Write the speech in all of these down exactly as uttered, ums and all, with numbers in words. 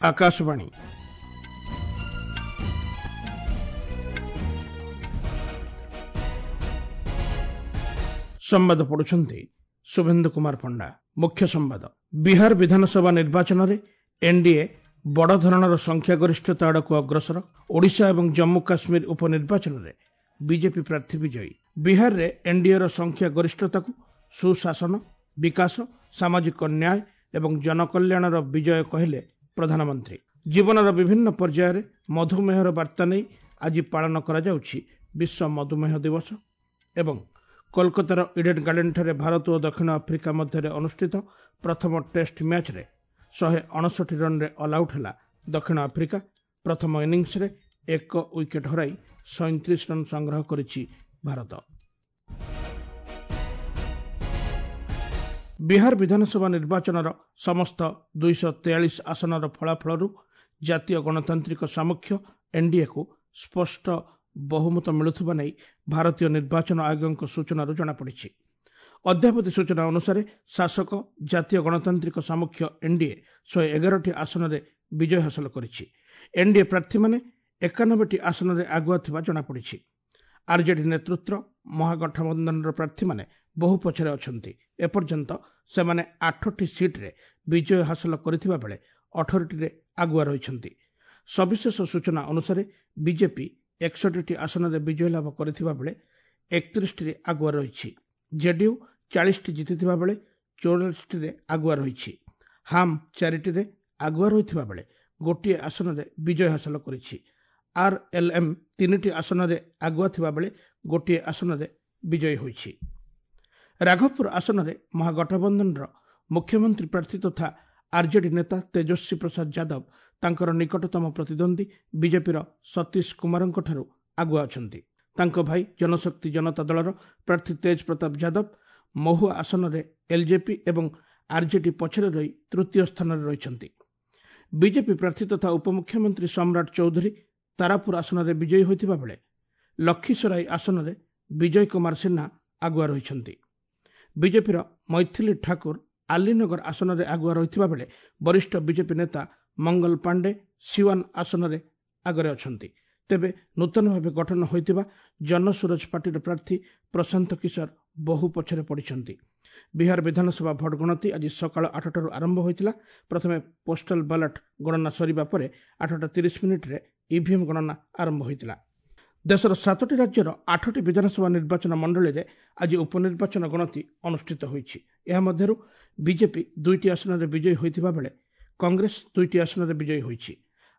ଆକାଶବାଣୀ। ସମ୍ବାଦ ପଢୁଛନ୍ତି ଶୁଭେନ୍ଦୁ କୁମାର ପଣ୍ଡା। ମୁଖ୍ୟ ସମ୍ବାଦ। ବିହାର ବିଧାନସଭା ନିର୍ବାଚନରେ ଏନ୍ଡିଏ ବଡ଼ ଧରଣର ସଂଖ୍ୟାଗରିଷ୍ଠତା ଆଡ଼କୁ ଅଗ୍ରସର। ଓଡ଼ିଶା ଏବଂ ଜମ୍ମୁ କାଶ୍ମୀର ଉପନିର୍ବାଚନରେ ବିଜେପି ପ୍ରାର୍ଥୀ ବିଜୟୀ। ବିହାରରେ ଏନ୍ଡିଏର ସଂଖ୍ୟାଗରିଷ୍ଠତାକୁ ସୁଶାସନ, ବିକାଶ, ସାମାଜିକ ନ୍ୟାୟ ଏବଂ ଜନକଲ୍ୟାଣର ବିଜୟ କହିଲେ ପ୍ରଧାନମନ୍ତ୍ରୀ। ଜୀବନର ବିଭିନ୍ନ ପର୍ଯ୍ୟାୟରେ ମଧୁମେହର ବାର୍ତ୍ତା ନେଇ ଆଜି ପାଳନ କରାଯାଉଛି ବିଶ୍ୱ ମଧୁମେହ ଦିବସ। ଏବଂ କୋଲକାତାର ଇଡେନ୍ ଗାର୍ଡେନ୍ଠାରେ ଭାରତ ଓ ଦକ୍ଷିଣ ଆଫ୍ରିକା ମଧ୍ୟରେ ଅନୁଷ୍ଠିତ ପ୍ରଥମ ଟେଷ୍ଟ ମ୍ୟାଚ୍ରେ ଶହେ ଅଣଷଠି ରନ୍ରେ ଅଲ୍ଆଉଟ୍ ହେଲା ଦକ୍ଷିଣ ଆଫ୍ରିକା। ପ୍ରଥମ ଇନିଂସରେ ଏକ ୱିକେଟ୍ ହରାଇ ସଇଁତିରିଶ ରନ୍ ସଂଗ୍ରହ କରିଛି ଭାରତ। ବିହାର ବିଧାନସଭା ନିର୍ବାଚନର ସମସ୍ତ ଦୁଇଶହ ତେୟାଳିଶ ଆସନର ଫଳାଫଳରୁ ଜାତୀୟ ଗଣତାନ୍ତ୍ରିକ ସାମୁଖ୍ୟ ଏନ୍ଡିଏକୁ ସ୍ପଷ୍ଟ ବହୁମତ ମିଳୁଥିବା ନେଇ ଭାରତୀୟ ନିର୍ବାଚନ ଆୟୋଗଙ୍କ ସୂଚନାରୁ ଜଣାପଡ଼ିଛି। ଅଦ୍ୟାବଧି ସୂଚନା ଅନୁସାରେ ଶାସକ ଜାତୀୟ ଗଣତାନ୍ତ୍ରିକ ସାମୁଖ୍ୟ ଏନ୍ଡିଏ ଶହେ ଏଗାରଟି ଆସନରେ ବିଜୟ ହାସଲ କରିଛି। ଏନ୍ଡିଏ ପ୍ରାର୍ଥୀମାନେ ଏକାନବେଟି ଆସନରେ ଆଗୁଆ ଥିବା ଜଣାପଡ଼ିଛି। ଆର୍ଜେଡି ନେତୃତ୍ୱ ମହାଗଠବନ୍ଧନର ପ୍ରାର୍ଥୀମାନେ ବହୁ ପଛରେ ଅଛନ୍ତି। ଏପର୍ଯ୍ୟନ୍ତ ସେମାନେ ଆଠଟି ସିଟ୍ରେ ବିଜୟ ହାସଲ କରିଥିବା ବେଳେ ଅଠରଟିରେ ଆଗୁଆ ରହିଛନ୍ତି। ସବିଶେଷ ସୂଚନା ଅନୁସାରେ ବିଜେପି ଏକଷଠିଟି ଆସନରେ ବିଜୟ ଲାଭ କରିଥିବା ବେଳେ ଏକତିରିଶଟିରେ ଆଗୁଆ ରହିଛି। ଜେଡିୟୁ ଚାଳିଶଟି ଜିତିଥିବା ବେଳେ ଚଉରାଳିଶଟିରେ ଆଗୁଆ ରହିଛି। ହାମ୍ ଚାରିଟିରେ ଆଗୁଆ ରହିଥିବା ବେଳେ ଗୋଟିଏ ଆସନରେ ବିଜୟ ହାସଲ କରିଛି। ଆର୍ଏଲ୍ଏମ୍ ତିନିଟି ଆସନରେ ଆଗୁଆ ଥିବା ବେଳେ ଗୋଟିଏ ଆସନରେ ବିଜୟୀ ହୋଇଛି। ରାଘବପୁର ଆସନରେ ମହାଗଠବନ୍ଧନର ମୁଖ୍ୟମନ୍ତ୍ରୀ ପ୍ରାର୍ଥୀ ତଥା ଆର୍ଜେଡି ନେତା ତେଜସ୍ୱୀ ପ୍ରସାଦ ଯାଦବ ତାଙ୍କର ନିକଟତମ ପ୍ରତିଦ୍ୱନ୍ଦ୍ୱୀ ବିଜେପିର ସତୀଶ କୁମାରଙ୍କଠାରୁ ଆଗୁଆ ଅଛନ୍ତି। ତାଙ୍କ ଭାଇ ଜନଶକ୍ତି ଜନତା ଦଳର ପ୍ରାର୍ଥୀ ତେଜ ପ୍ରତାପ ଯାଦବ ମହୁଆ ଆସନରେ ଏଲ୍ଜେପି ଏବଂ ଆର୍ଜେଡି ପଛରେ ରହି ତୃତୀୟ ସ୍ଥାନରେ ରହିଛନ୍ତି। ବିଜେପି ପ୍ରାର୍ଥୀ ତଥା ଉପମୁଖ୍ୟମନ୍ତ୍ରୀ ସମ୍ରାଟ ଚୌଧୁରୀ ତାରାପୁର ଆସନରେ ବିଜୟୀ ହୋଇଥିବା ବେଳେ ଲକ୍ଷୀସରାଇ ଆସନରେ ବିଜୟ କୁମାର ସିହ୍ନା ଆଗୁଆ ରହିଛନ୍ତି। ବିଜେପିର ମୈଥିଲି ଠାକୁର ଆଲିନଗର ଆସନରେ ଆଗୁଆ ରହିଥିବା ବେଳେ ବରିଷ୍ଠ ବିଜେପି ନେତା ମଙ୍ଗଲ ପାଣ୍ଡେ ସିୱାନ ଆସନରେ ଆଗରେ ଅଛନ୍ତି। ତେବେ ନୂତନ ଭାବେ ଗଠନ ହୋଇଥିବା ଜନସୁରଜ ପାର୍ଟିର ପ୍ରାର୍ଥୀ ପ୍ରଶାନ୍ତ କିଶୋର ବହୁ ପଛରେ ପଡ଼ିଛନ୍ତି। ବିହାର ବିଧାନସଭା ଭୋଟ ଗଣତି ଆଜି ସକାଳ ଆଠଟାରୁ ଆରମ୍ଭ ହୋଇଥିଲା। ପ୍ରଥମେ ପୋଷ୍ଟାଲ ବାଲାଟ ଗଣନା ସରିବା ପରେ ଆଠଟା ତିରିଶ ମିନିଟ୍ରେ ଇଭିଏମ୍ ଗଣନା ଆରମ୍ଭ ହୋଇଥିଲା। ଦେଶର ସାତଟି ରାଜ୍ୟର ଆଠଟି ବିଧାନସଭା ନିର୍ବାଚନ ମଣ୍ଡଳୀରେ ଆଜି ଉପନିର୍ବାଚନ ଗଣତି ଅନୁଷ୍ଠିତ ହୋଇଛି। ଏହା ମଧ୍ୟରୁ ବିଜେପି ଦୁଇଟି ଆସନରେ ବିଜୟୀ ହୋଇଥିବା ବେଳେ କଂଗ୍ରେସ ଦୁଇଟି ଆସନରେ ବିଜୟୀ ହୋଇଛି।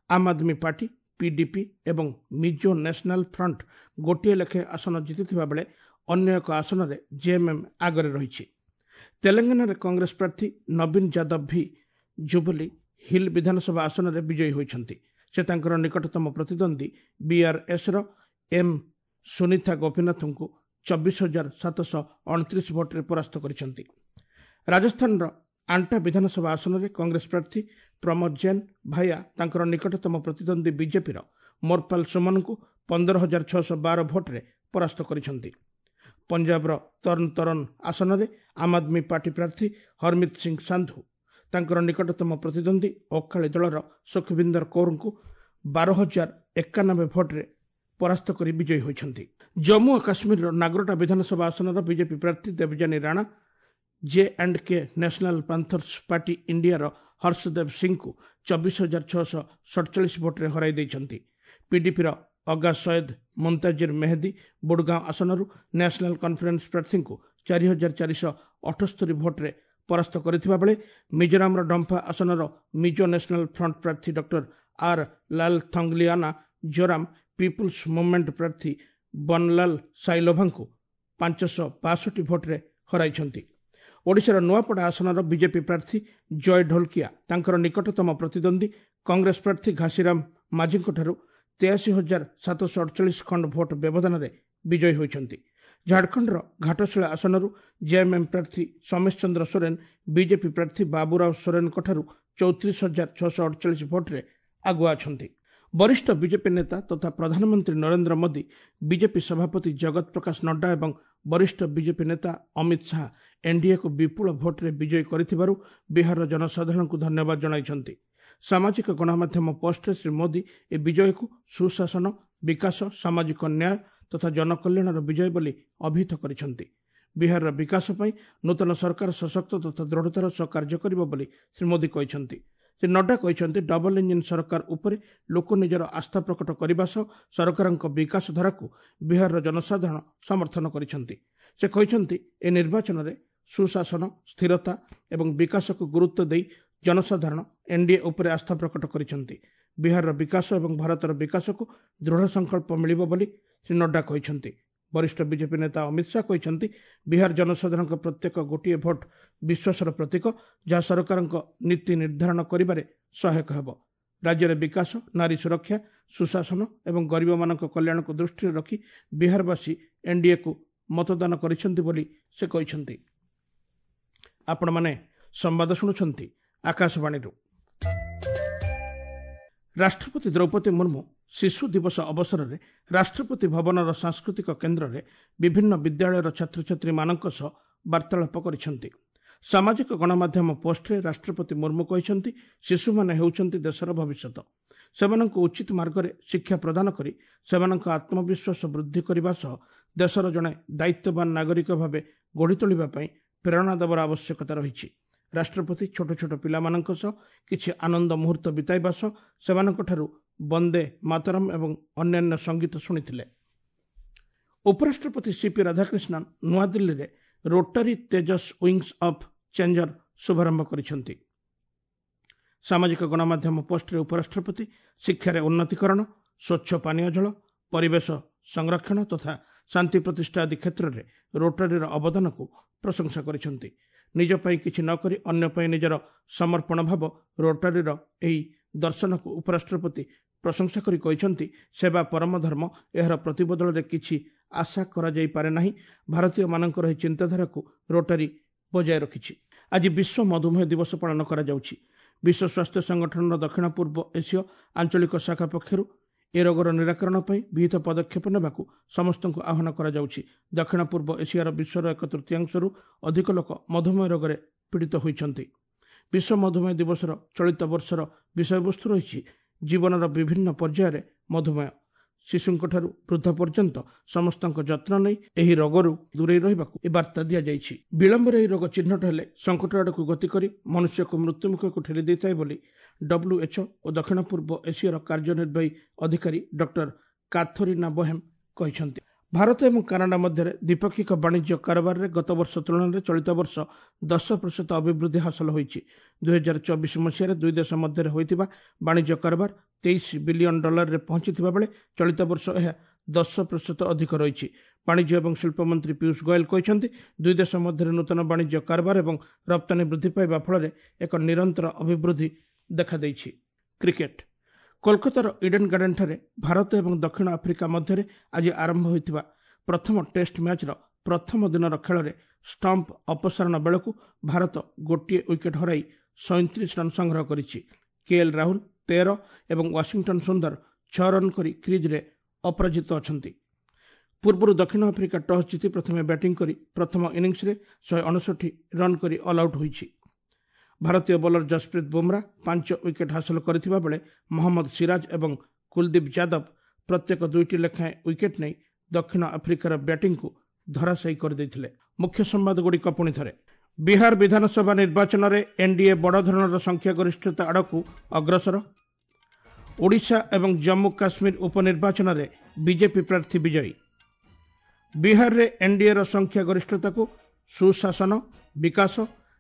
ଆମ୍ ଆଦମୀ ପାର୍ଟି, ପିଡିପି ଏବଂ ମିଜୋ ନ୍ୟାସନାଲ ଫ୍ରଣ୍ଟ ଗୋଟିଏ ଲେଖାଏଁ ଆସନ ଜିତିଥିବା ବେଳେ ଅନ୍ୟ ଏକ ଆସନରେ ଜେଏମ୍ଏମ୍ ଆଗରେ ରହିଛି। ତେଲେଙ୍ଗାନାରେ କଂଗ୍ରେସ ପ୍ରାର୍ଥୀ ନବୀନ ଯାଦବ ଭି ଜୁବଲି ହିଲ୍ ବିଧାନସଭା ଆସନରେ ବିଜୟୀ ହୋଇଛନ୍ତି। ସେ ତାଙ୍କର ନିକଟତମ ପ୍ରତିଦ୍ୱନ୍ଦ୍ୱୀ ବିଆର୍ଏସ୍ର ଏମ୍ ସୁନୀତା ଗୋପୀନାଥଙ୍କୁ ଚବିଶ ହଜାର ସାତଶହ ଅଣତିରିଶ ଭୋଟରେ ପରାସ୍ତ କରିଛନ୍ତି। ରାଜସ୍ଥାନର ଆଣ୍ଟା ବିଧାନସଭା ଆସନରେ କଂଗ୍ରେସ ପ୍ରାର୍ଥୀ ପ୍ରମୋଦ ଜୈନ ଭାୟା ତାଙ୍କର ନିକଟତମ ପ୍ରତିଦ୍ୱନ୍ଦ୍ୱୀ ବିଜେପିର ମୋରପାଲ ସୁମନଙ୍କୁ ପନ୍ଦର ହଜାର ଛଅଶହ ବାର ଭୋଟରେ ପରାସ୍ତ କରିଛନ୍ତି। ପଞ୍ଜାବର ତରନ ତରନ ଆସନରେ ଆମ୍ ଆଦମୀ ପାର୍ଟି ପ୍ରାର୍ଥୀ ହରମିତ ସିଂ ସାନ୍ଧୁ ତାଙ୍କର ନିକଟତମ ପ୍ରତିଦ୍ୱନ୍ଦ୍ୱୀ ଅକାଳୀ ଦଳର ସୁଖବିନ୍ଦର କୌରଙ୍କୁ ବାର ହଜାର ଏକାନବେ ଭୋଟରେ ପରାସ୍ତ କରି ବିଜୟୀ ହୋଇଛନ୍ତି। ଜମ୍ମୁ ଓ କାଶ୍ମୀରର ନାଗରୋଟା ବିଧାନସଭା ଆସନର ବିଜେପି ପ୍ରାର୍ଥୀ Devjani Rana J and K National Panthers Party ଇଣ୍ଡିଆର ହର୍ଷଦେବ ସିଂଙ୍କୁ ଚବିଶ ହଜାର ଛଅଶହ ସଡ଼ଚାଳିଶ ଭୋଟରେ ହରାଇ ଦେଇଛନ୍ତି। ପିଡିପିର ଅଗା ସୟେଦ ମୁନ୍ତାଜିର ମେହେଦୀ ବୁଡ଼ଗାଁଓ ଆସନରୁ ନ୍ୟାସନାଲ କନଫରେନ୍ସ ପ୍ରାର୍ଥୀଙ୍କୁ ଚାରି ହଜାର ଚାରିଶହ ଅଠସ୍ତରୀ ଭୋଟରେ ପରାସ୍ତ କରିଥିବା ବେଳେ ମିଜୋରାମର ଡମ୍ଫା ଆସନର ମିଜୋ ନ୍ୟାସନାଲ ଫ୍ରଣ୍ଟ ପ୍ରାର୍ଥୀ doctor R Lalthangliana Zoram People's Movement ପ୍ରାର୍ଥୀ ବନଲାଲ ସାଇଲୋଭାଙ୍କୁ ପାଞ୍ଚଶହ ବାଷଠି ଭୋଟରେ ହରାଇଛନ୍ତି। ଓଡ଼ିଶାର ନୂଆପଡ଼ା ଆସନର ବିଜେପି ପ୍ରାର୍ଥୀ ଜୟ ଢୋଲକିଆ ତାଙ୍କର ନିକଟତମ ପ୍ରତିଦ୍ୱନ୍ଦ୍ୱୀ କଂଗ୍ରେସ ପ୍ରାର୍ଥୀ ଘାସିରାମ ମାଝୀଙ୍କଠାରୁ ତେୟାଅଶୀ ହଜାର ସାତଶହ ଅଡ଼ଚାଳିଶ ଖଣ୍ଡ ଭୋଟ ବ୍ୟବଧାନରେ ବିଜୟୀ ହୋଇଛନ୍ତି। ଝାଡ଼ଖଣ୍ଡର ଘାଟଶିଳା ଆସନରୁ ଜେଏମ୍ଏମ୍ ପ୍ରାର୍ଥୀ ସୋମେଶ ଚନ୍ଦ୍ର ସୋରେନ ବିଜେପି ପ୍ରାର୍ଥୀ ବାବୁରାଓ ସୋରେନଙ୍କଠାରୁ ଚଉତିରିଶ ହଜାର ଛଅଶହ ଅଡ଼ଚାଳିଶ ଭୋଟରେ ଆଗୁଆ ଅଛନ୍ତି। ବରିଷ୍ଠ ବିଜେପି ନେତା ତଥା ପ୍ରଧାନମନ୍ତ୍ରୀ ନରେନ୍ଦ୍ର ମୋଦି, ବିଜେପି ସଭାପତି ଜଗତ ପ୍ରକାଶ ନଡ୍ଡା ଏବଂ ବରିଷ୍ଠ ବିଜେପି ନେତା ଅମିତ ଶାହା ଏନ୍ଡିଏକୁ ବିପୁଳ ଭୋଟରେ ବିଜୟୀ କରିଥିବାରୁ ବିହାରର ଜନସାଧାରଣଙ୍କୁ ଧନ୍ୟବାଦ ଜଣାଇଛନ୍ତି। ସାମାଜିକ ଗଣମାଧ୍ୟମ ପୋଷ୍ଟରେ ଶ୍ରୀ ମୋଦି ଏ ବିଜୟକୁ ସୁଶାସନ, ବିକାଶ, ସାମାଜିକ ନ୍ୟାୟ ତଥା ଜନକଲ୍ୟାଣର ବିଜୟ ବୋଲି ଅଭିହିତ କରିଛନ୍ତି। ବିହାରର ବିକାଶ ପାଇଁ ନୂତନ ସରକାର ସଶକ୍ତ ତଥା ଦୃଢ଼ତାର ସହ କାର୍ଯ୍ୟ କରିବ ବୋଲି ଶ୍ରୀ ମୋଦି କହିଛନ୍ତି। ଶ୍ରୀ ନଡ୍ଡା କହିଛନ୍ତି, ଡବଲ ଇଞ୍ଜିନ୍ ସରକାର ଉପରେ ଲୋକ ନିଜର ଆସ୍ଥା ପ୍ରକଟ କରିବା ସହ ସରକାରଙ୍କ ବିକାଶ ଧାରାକୁ ବିହାରର ଜନସାଧାରଣ ସମର୍ଥନ କରିଛନ୍ତି। ସେ କହିଛନ୍ତି, ଏ ନିର୍ବାଚନରେ ସୁଶାସନ, ସ୍ଥିରତା ଏବଂ ବିକାଶକୁ ଗୁରୁତ୍ୱ ଦେଇ ଜନସାଧାରଣ ଏନ୍ଡିଏ ଉପରେ ଆସ୍ଥା ପ୍ରକଟ କରିଛନ୍ତି। ବିହାରର ବିକାଶ ଏବଂ ଭାରତର ବିକାଶକୁ ଦୃଢ଼ ସଂକଳ୍ପ ମିଳିବ ବୋଲି ଶ୍ରୀ ନଡ୍ଡା କହିଛନ୍ତି। ବରିଷ୍ଠ ବିଜେପି ନେତା ଅମିତ ଶାହା କହିଛନ୍ତି, ବିହାର ଜନସାଧାରଣଙ୍କ ପ୍ରତ୍ୟେକ ଗୋଟିଏ ଭୋଟ ବିଶ୍ୱାସର ପ୍ରତୀକ, ଯାହା ସରକାରଙ୍କ ନୀତି ନିର୍ଦ୍ଧାରଣ କରିବାରେ ସହାୟକ ହେବ। ରାଜ୍ୟରେ ବିକାଶ, ନାରୀ ସୁରକ୍ଷା, ସୁଶାସନ ଏବଂ ଗରିବମାନଙ୍କ କଲ୍ୟାଣକୁ ଦୃଷ୍ଟିରେ ରଖି ବିହାରବାସୀ ଏନ୍ଡିଏକୁ ମତଦାନ କରିଛନ୍ତି ବୋଲି ସେ କହିଛନ୍ତି। ଆପଣମାନେ ସମ୍ବାଦ ଶୁଣୁଛନ୍ତି ଆକାଶବାଣୀରୁ। ରାଷ୍ଟ୍ରପତି ଦ୍ରୌପଦୀ ମୁର୍ମୁ ଶିଶୁ ଦିବସ ଅବସରରେ ରାଷ୍ଟ୍ରପତି ଭବନର ସାଂସ୍କୃତିକ କେନ୍ଦ୍ରରେ ବିଭିନ୍ନ ବିଦ୍ୟାଳୟର ଛାତ୍ରଛାତ୍ରୀମାନଙ୍କ ସହ ବାର୍ତ୍ତାଳାପ କରିଛନ୍ତି। ସାମାଜିକ ଗଣମାଧ୍ୟମ ପୋଷ୍ଟରେ ରାଷ୍ଟ୍ରପତି ମୁର୍ମୁ କହିଛନ୍ତି, ଶିଶୁମାନେ ହେଉଛନ୍ତି ଦେଶର ଭବିଷ୍ୟତ। ସେମାନଙ୍କୁ ଉଚିତ ମାର୍ଗରେ ଶିକ୍ଷା ପ୍ରଦାନ କରି ସେମାନଙ୍କ ଆତ୍ମବିଶ୍ୱାସ ବୃଦ୍ଧି କରିବା ସହ ଦେଶର ଜଣେ ଦାୟିତ୍ୱବାନ ନାଗରିକ ଭାବେ ଗଢ଼ି ତୋଳିବା ପାଇଁ ପ୍ରେରଣା ଦେବାର ଆବଶ୍ୟକତା ରହିଛି। ରାଷ୍ଟ୍ରପତି ଛୋଟ ଛୋଟ ପିଲାମାନଙ୍କ ସହ କିଛି ଆନନ୍ଦ ମୁହୂର୍ତ୍ତ ବିତାଇବା ସହ ସେମାନଙ୍କଠାରୁ ବନ୍ଦେ ମାତରମ୍ ଏବଂ ଅନ୍ୟାନ୍ୟ ସଙ୍ଗୀତ ଶୁଣିଥିଲେ। ଉପରାଷ୍ଟ୍ରପତି ସିପି ରାଧାକ୍ରିଷ୍ଣନ୍ ନୂଆଦିଲ୍ଲୀରେ Rotary Tejas wings of changer ଶୁଭାରମ୍ଭ କରିଛନ୍ତି। ସାମାଜିକ ଗଣମାଧ୍ୟମ ପୋଷ୍ଟରେ ଉପରାଷ୍ଟ୍ରପତି ଶିକ୍ଷାରେ ଉନ୍ନତିକରଣ, ସ୍ୱଚ୍ଛ ପାନୀୟ ଜଳ, ପରିବେଶ ସଂରକ୍ଷଣ ତଥା ଶାନ୍ତି ପ୍ରତିଷ୍ଠା ଆଦି କ୍ଷେତ୍ରରେ ରୋଟାରୀର ଅବଦାନକୁ ପ୍ରଶଂସା କରିଛନ୍ତି। ନିଜ ପାଇଁ କିଛି ନ କରି ଅନ୍ୟ ପାଇଁ ନିଜର ସମର୍ପଣ ଭାବ ରୋଟାରୀର ଏହି ଦର୍ଶନକୁ ଉପରାଷ୍ଟ୍ରପତି ପ୍ରଶଂସା କରି କହିଛନ୍ତି, ସେବା ପରମ ଧର୍ମ, ଏହାର ପ୍ରତିବଦଳରେ କିଛି ଆଶା କରାଯାଇପାରେ ନାହିଁ। ଭାରତୀୟମାନଙ୍କର ଏହି ଚିନ୍ତାଧାରାକୁ ରୋଟାରୀ ବଜାୟ ରଖିଛି। ଆଜି ବିଶ୍ୱ ମଧୁମେହ ଦିବସ ପାଳନ କରାଯାଉଛି। ବିଶ୍ୱ ସ୍ୱାସ୍ଥ୍ୟ ସଂଗଠନର ଦକ୍ଷିଣ ପୂର୍ବ ଏସୀୟ ଆଞ୍ଚଳିକ ଶାଖା ପକ୍ଷରୁ ଏ ରୋଗର ନିରାକରଣ ପାଇଁ ବିହିତ ପଦକ୍ଷେପ ନେବାକୁ ସମସ୍ତଙ୍କୁ ଆହ୍ୱାନ କରାଯାଉଛି। ଦକ୍ଷିଣ ପୂର୍ବ ଏସିଆର ବିଶ୍ୱର ଏକ ତୃତୀୟାଂଶରୁ ଅଧିକ ଲୋକ ମଧୁମେହ ରୋଗରେ ପୀଡ଼ିତ ହୋଇଛନ୍ତି। ବିଶ୍ୱ ମଧୁମେହ ଦିବସର ଚଳିତ ବର୍ଷର ବିଷୟବସ୍ତୁ ରହିଛି ଜୀବନର ବିଭିନ୍ନ ପର୍ଯ୍ୟାୟରେ ମଧୁମେହ। ଶିଶୁଙ୍କଠାରୁ ବୃଦ୍ଧ ପର୍ଯ୍ୟନ୍ତ ସମସ୍ତଙ୍କ ଯତ୍ନ ନେଇ ଏହି ରୋଗରୁ ଦୂରେଇ ରହିବାକୁ ଏ ବାର୍ତ୍ତା ଦିଆଯାଇଛି। ବିଳମ୍ବରେ ଏହି ରୋଗ ଚିହ୍ନଟ ହେଲେ ସଙ୍କଟ ଆଡ଼କୁ ଗତି କରି ମନୁଷ୍ୟକୁ ମୃତ୍ୟୁମୁଖକୁ ଠେଲି ଦେଇଥାଏ ବୋଲି WHO ଓ ଦକ୍ଷିଣ ପୂର୍ବ ଏସିଆର କାର୍ଯ୍ୟନିର୍ବାହୀ ଅଧିକାରୀ ଡକ୍ଟର କାଥରିନା ବୋହେମ୍ କହିଛନ୍ତି। ଭାରତ ଏବଂ କାନାଡା ମଧ୍ୟରେ ଦ୍ୱିପାକ୍ଷିକ ବାଣିଜ୍ୟ କାରବାରରେ ଗତବର୍ଷ ତୁଳନାରେ ଚଳିତ ବର୍ଷ ଦଶ ପ୍ରତିଶତ ଅଭିବୃଦ୍ଧି ହାସଲ ହୋଇଛି। ଦୁଇହଜାର ଚବିଶ ମସିହାରେ ଦୁଇ ଦେଶ ମଧ୍ୟରେ ହୋଇଥିବା ବାଣିଜ୍ୟ କାରବାର ତେଇଶ ବିଲିୟନ ଡଲାରରେ ପହଞ୍ଚିଥିବା ବେଳେ ଚଳିତ ବର୍ଷ ଏହା ଦଶ ପ୍ରତିଶତ ଅଧିକ ରହିଛି। ବାଣିଜ୍ୟ ଏବଂ ଶିଳ୍ପ ମନ୍ତ୍ରୀ ପୀୟୁଷ ଗୋୟଲ କହିଛନ୍ତି, ଦୁଇ ଦେଶ ମଧ୍ୟରେ ନୂତନ ବାଣିଜ୍ୟ କାରବାର ଏବଂ ରପ୍ତାନୀ ବୃଦ୍ଧି ପାଇବା ଫଳରେ ଏକ ନିରନ୍ତର ଅଭିବୃଦ୍ଧି ଦେଖାଦେଇଛି। କ୍ରିକେଟ, କୋଲକାତାର ଇଡେନ୍ ଗାର୍ଡେନ୍ଠାରେ ଭାରତ ଏବଂ ଦକ୍ଷିଣ ଆଫ୍ରିକା ମଧ୍ୟରେ ଆଜି ଆରମ୍ଭ ହୋଇଥିବା ପ୍ରଥମ ଟେଷ୍ଟ ମ୍ୟାଚ୍ର ପ୍ରଥମ ଦିନର ଖେଳରେ ଷ୍ଟମ୍ପ ଅପସାରଣ ବେଳକୁ ଭାରତ ଗୋଟିଏ ୱିକେଟ୍ ହରାଇ ସଇଁତିରିଶ ରନ୍ ସଂଗ୍ରହ କରିଛି। କେଏଲ୍ ରାହୁଲ ତେର ଏବଂ ୱାଶିଂଟନ୍ ସୁନ୍ଦର ଛଅ ରନ୍ କରି କ୍ରିଜ୍ରେ ଅପରାଜିତ ଅଛନ୍ତି। ପୂର୍ବରୁ ଦକ୍ଷିଣ ଆଫ୍ରିକା ଟସ୍ ଜିତି ପ୍ରଥମେ ବ୍ୟାଟିଂ କରି ପ୍ରଥମ ଇନିଂସରେ ଶହେ ଅଣଷଠି ରନ୍ କରି ଅଲ୍ ଆଉଟ୍ ହୋଇଛି। ଭାରତୀୟ ବୋଲର ଜସପ୍ରୀତ ବୁମରା ପାଞ୍ଚ ୱିକେଟ୍ ହାସଲ କରିଥିବା ବେଳେ ମହମ୍ମଦ ସିରାଜ ଏବଂ କୁଲଦୀପ ଯାଦବ ପ୍ରତ୍ୟେକ ଦୁଇଟି ଲେଖାଏଁ ୱିକେଟ୍ ନେଇ ଦକ୍ଷିଣ ଆଫ୍ରିକାର ବ୍ୟାଟିଂକୁ ଧରାଶାୟୀ କରିଦେଇଥିଲେ। ମୁଖ୍ୟ ସମ୍ବାଦଗୁଡ଼ିକ ପୁଣି ଥରେ। ବିହାର ବିଧାନସଭା ନିର୍ବାଚନରେ ଏନ୍ଡିଏ ବଡ଼ ଧରଣର ସଂଖ୍ୟାଗରିଷ୍ଠତା ଆଡ଼କୁ ଅଗ୍ରସର। ଓଡ଼ିଶା ଏବଂ ଜମ୍ମୁ କାଶ୍ମୀର ଉପନିର୍ବାଚନରେ ବିଜେପି ପ୍ରାର୍ଥୀ ବିଜୟୀ। ବିହାରରେ ଏନ୍ଡିଏର ସଂଖ୍ୟାଗରିଷ୍ଠତାକୁ ସୁଶାସନ, ବିକାଶ,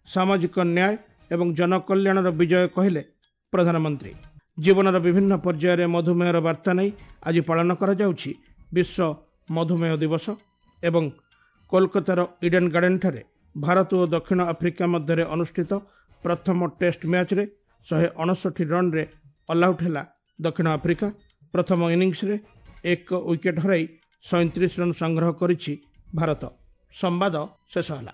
ସାମାଜିକ ନ୍ୟାୟ ଏବଂ ଜନକଲ୍ୟାଣର ବିଜୟ କହିଲେ ପ୍ରଧାନମନ୍ତ୍ରୀ। ଜୀବନର ବିଭିନ୍ନ ପର୍ଯ୍ୟାୟରେ ମଧୁମେହର ବାର୍ତ୍ତା ନେଇ ଆଜି ପାଳନ କରାଯାଉଛି ବିଶ୍ୱ ମଧୁମେହ ଦିବସ। ଏବଂ କୋଲକାତାର ଇଡେନ୍ ଗାର୍ଡେନ୍ଠାରେ ଭାରତ ଓ ଦକ୍ଷିଣ ଆଫ୍ରିକା ମଧ୍ୟରେ ଅନୁଷ୍ଠିତ ପ୍ରଥମ ଟେଷ୍ଟ ମ୍ୟାଚ୍ରେ ଶହେ ଅଣଷଠି ରନ୍ରେ ଅଲ୍ଆଉଟ୍ ହେଲା ଦକ୍ଷିଣ ଆଫ୍ରିକା। ପ୍ରଥମ ଇନିଂସରେ ଏକ ୱିକେଟ୍ ହରାଇ ସଇଁତିରିଶ ରନ୍ ସଂଗ୍ରହ କରିଛି ଭାରତ। ସମ୍ବାଦ ଶେଷ ହେଲା।